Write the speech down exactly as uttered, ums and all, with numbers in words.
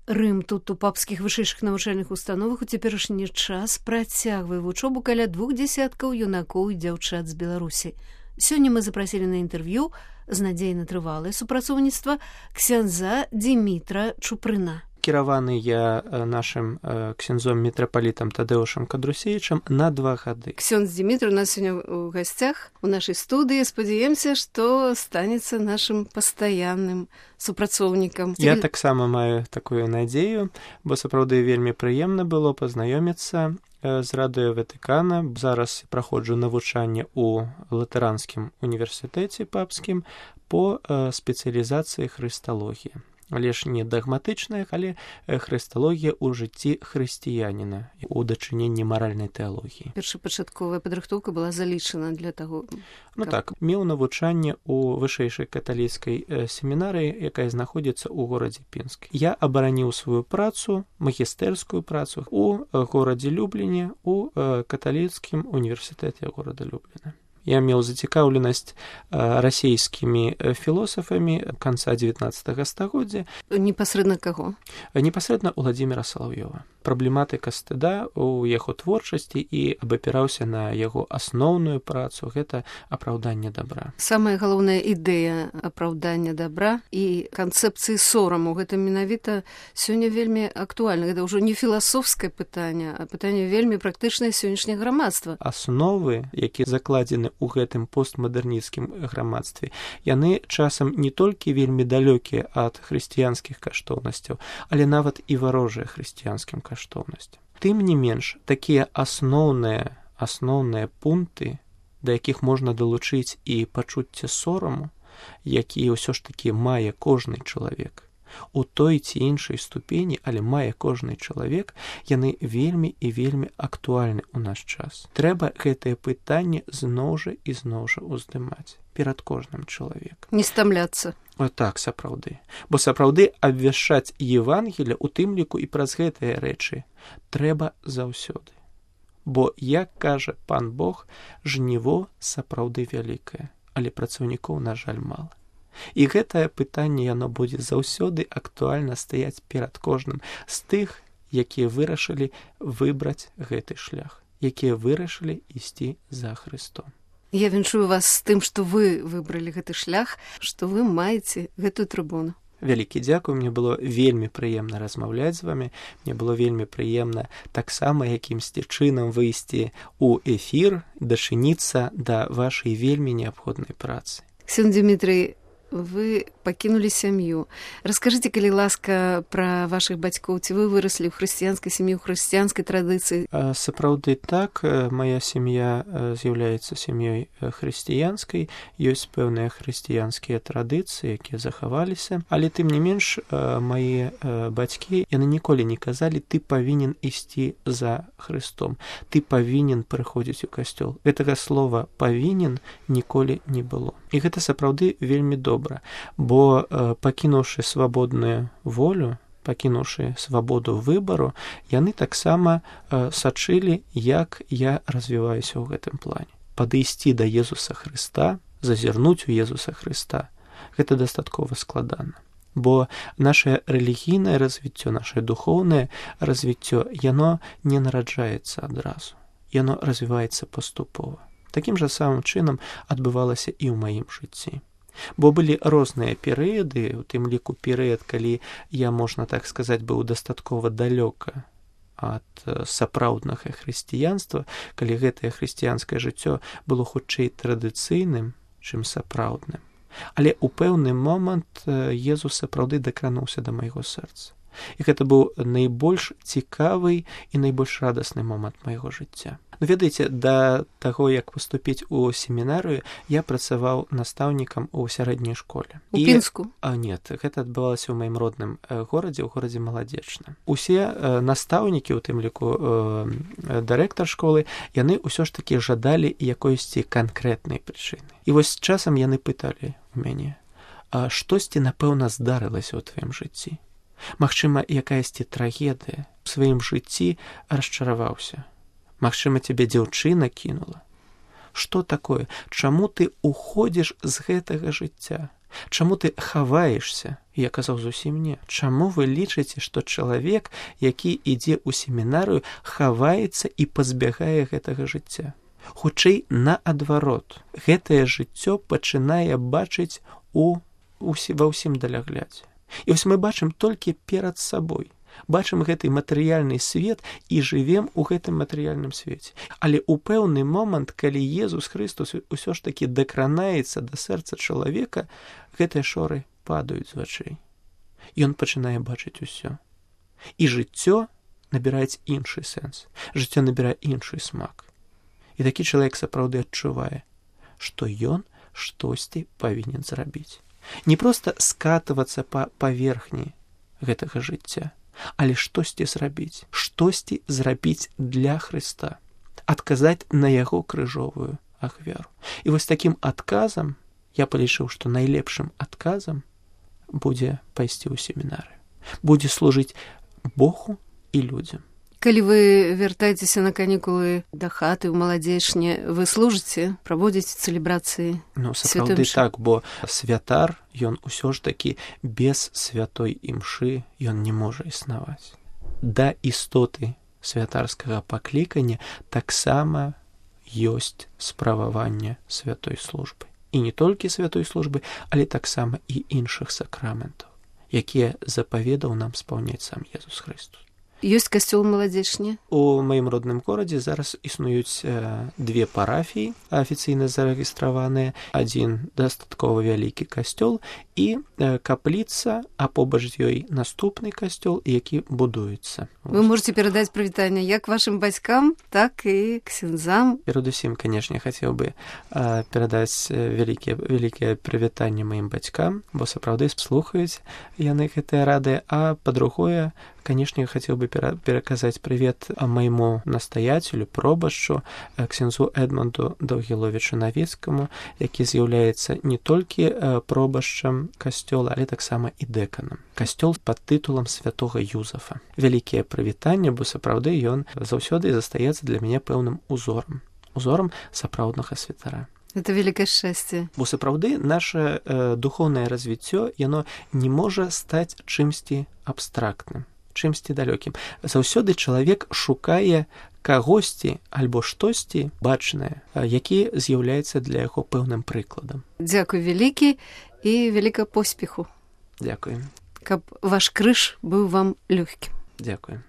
Рым тут у папскіх вышэйшых навучальных установах у цяперашні час працягвае вучобу каля двух дзесяткаў юнакоў і дзяўчат з Беларусі. Сёння мы запрасілі на інтэрв'ю з надзеяй на трывалае супрацоўніцтва ксяндза Дзімітра Чупрына. Кіраваны я нашым ксяндзом мітрапалітам Тадэушам Кадрусевічам на два гады. Ксяндз Дзімітр у нас сёння ў гасцях у нашай студыі. Спадзяемся, што станецца нашым пастаянным супрацоўнікам. Я таксама маю такую надзею, бо сапраўды вельмі прыемна было пазнаёміцца з радыё Ватыкана. Зараз праходжу навучанне ў Латаранскім універсітэце папскім по спецыялізацыі хрысталогіі. Але ж не дагматычная, але хрысталогія ў жыцці хрысціяніна у дачыненні маральнай тэалогіі. Першапачатковая падрыхтоўка была залічана для таго. Ну так, меў навучанне ў вышэйшай каталіцкай семінарыі, якая знаходзіцца ў горадзе Пінск. Я абараніў сваю працу, магістэрскую працу у горадзе Любліне, у каталіцкім універсітэце горада Любліна. Я меў зацікаўленасць расійскімі філосафамі канца дзевятнаццатага стагоддзя. Непасрэдна каго? Непасрэдна Уладзіміра Салаўёва. Праблематыка стыда ў яго творчасці і абапіраўся на яго асноўную працу. Гэта апраўданне дабра. Самая галоўная ідэя апраўдання дабра і канцэпцыі сораму. Гэта менавіта сёння вельмі актуальна. Гэта ўжо не філасофскае пытанне, а пытанне вельмі практычнае сённяшняе грамадства. Асновы, якія закладзены у гэтым постмадэрнісцкім грамадстве, яны часам не толькі вельмі далёкія ад хрысціянскіх каштоўнасцяў, але нават і варожыя хрысціянскім каштоўнасцям. Тым не менш, такія асноўныя, асноўныя пункты, да якіх можна далучыць і пачуцце сораму, які ўсё ж такі мае кожны чалавек, у той ці іншай ступені, але мае кожны чалавек, яны вельмі і вельмі актуальны ў наш час. Трэба гэтае пытанне зноў жа і зноў жа ўздымаць перад кожным чалавекам. Не стамляцца. О, так, сапраўды. Бо сапраўды абвяшчаць Евангелле, у тым ліку і праз гэтыя рэчы, трэба заўсёды. Бо, як кажа пан Бог, жніво сапраўды вялікае, але працаўнікоў, на жаль, мала. І гэтае пытанне, яно будзе заўсёды актуальна стаяць перад кожным з тых, якія вырашылі выбраць гэты шлях, якія вырашылі ісці за Хрыстом. Я віншую вас з тым, што вы выбралі гэты шлях, што вы маеце гэтую трыбуну. Вялікі дзякуй, мне было вельмі прыемна размаўляць з вамі, мне было вельмі прыемна таксама якімсьці чынам выйсці ў эфір, дачыніцца да вашай вельмі неабходнай працы. Ксяндз Дзімітрый, вы пакінулі сям'ю. Раскажыце, калі ласка, пра вашых бацькоў. Ці вы выраслі ў хрысціянскай сям'і, ў хрысціянскай традыцыі? Сапраўды так. Мая сям'я з'яўляецца сям'ёй хрысціянскай. Ёсць пэўныя хрысціянскія традыцыі, якія захаваліся. Але тым не менш, мае бацькі, яны ніколі не казалі, ты павінен ісці за Хрыстом. Ты павінен прыходзіць у касцёл. Гэтага слова «павінен» ніколі не было. І гэта сапраўды вельмі добра. Бо пакінуўшы свабодную волю, пакінуўшы свабоду выбару, яны таксама сачылі, як я развіваюся ў гэтым плане. Падысці да Езуса Хрыста, зазірнуць у Езуса Хрыста, гэта дастаткова складана. Бо нашае рэлігійнае развіццё, нашае духоўнае развіццё, яно не нараджаецца адразу. Яно развіваецца паступова. Такім жа самым чынам адбывалася і ў маім жыцці. Бо былі розныя перыяды, у тым ліку перыяд, калі я, можна так сказаць, быў дастаткова далёка ад сапраўднага хрысціянства, калі гэтае хрысціянскае жыццё было хутчэй традыцыйным, чым сапраўдным. Але ў пэўны момант Езус сапраўды дакрануўся да майго сэрца. І гэта быў найбольш цікавы і найбольш радасны момант майго жыцця. Ну, ведаеце, да таго, як паступіць у семінарыю, я працаваў настаўнікам у сярэдняй школе. У Пінску? А, нет, гэта адбывалася ў маім родным горадзе, ў горадзе Маладзечным. Усе настаўнікі, у тым ліку дырэктар школы, яны ўсё ж такі жадалі якойсьці канкрэтнай прычыны. І вось часам яны пыталі у мяне, а штосьці, напэўна, здарылася ў тваім жыцці? Магчыма, якаясьці трагедыя ў сваім жыцці расчараваўся. Магчыма, цябе дзяўчына кінула. Што такое? Чаму ты уходзіш з гэтага жыцця? Чаму ты хаваешься? Я казаў зусім не. Чаму вы лічыце, што чалавек, які ідзе ў семінарыю, хаваецца і пазбягае гэтага жыцця? Хутчэй наадварот. Гэтае жыццё пачынае бачыць у, у, ва ўсім даляглядзе. І вось мы бачым толькі перад сабой. Бачым гэты матэрыяльны свет і жывем у гэтым матэрыяльным свеце. Але ў пэўны момант, калі Езус Христос усё ж такі дакранаецца да сэрца чалавека, гэтыя шоры падаюць з вачэй. Ён пачынае бачыць усё. І жыццё набірае іншы сэнс. Жыццё набірае іншы смак. І такі чалавек сапраўды адчувае, што ён штосьці павінен зрабіць. Не проста скатывацца па паверхні гэтага жыцця, але штосьці зрабіць, штосьці зрабіць для Хрыста, адказаць на яго крыжовую ахвяру. І вось такім адказам я палічыў, што найлепшым адказам будзе пайсці ў семінары, будзе служыць Богу і людзям. Калі вы вяртаецеся на канікулы да хаты ў маладзечне, вы служыце, праводзіце цэлебрацыі? Ну, сапраўды так, бо святар, ён усё ж такі без святой імшы ён не можа існаваць. Да істоты святарскага паклікання таксама ёсць справаванне святой службы. І не толькі святой службы, але таксама і іншых сакраментаў, якія запаведаў нам спаўняць сам Езус Христос. Ёсць касцёл маладзечне? У маім родным горадзе зараз існуюць э, две парафіі афіцыйна зарэгістраваныя. Адзін дастаткова вялікі касцёл і э, капліца, а побач з ёй наступны касцёл, які будуецца. Вы можете перадаць прывітанне як вашым бацькам, так і ксяндзам. Перадусім, канешне, хацеў бы э, перадаць вялікія, вялікія прывітанне маім бацькам, бо сапраўды слухаюць яны гэтыя рады, а па-другое, канешне, хацеў бы пераказаць прывет майму настаяцелю, пробашчу, ксяндзу Эдмунду Даўгіловічу Навецкаму, які з'яўляецца не толькі пробашчам касцёла, але таксама і дэканам. Касцёл пад тытулам святога Юзафа. Вялікія прывітанне, бо сапраўды ён заўсёды застаецца для мяне пэўным узорам. Узорам сапраўднага святара. Это вялікае шчасце. Бо сапраўды наше э, духоўнае развіццё, яно не можа стаць чымсьці абстрактным, чымсьці далёкім. Заўсёды чалавек шукае кагосьці альбо штосьці бачнае, які з'яўляецца для яго пэўным прыкладам. Дзякуй вялікі і вялікага поспеху. Дзякуй. Каб ваш крыж быў вам лёгкім. Дзякуй.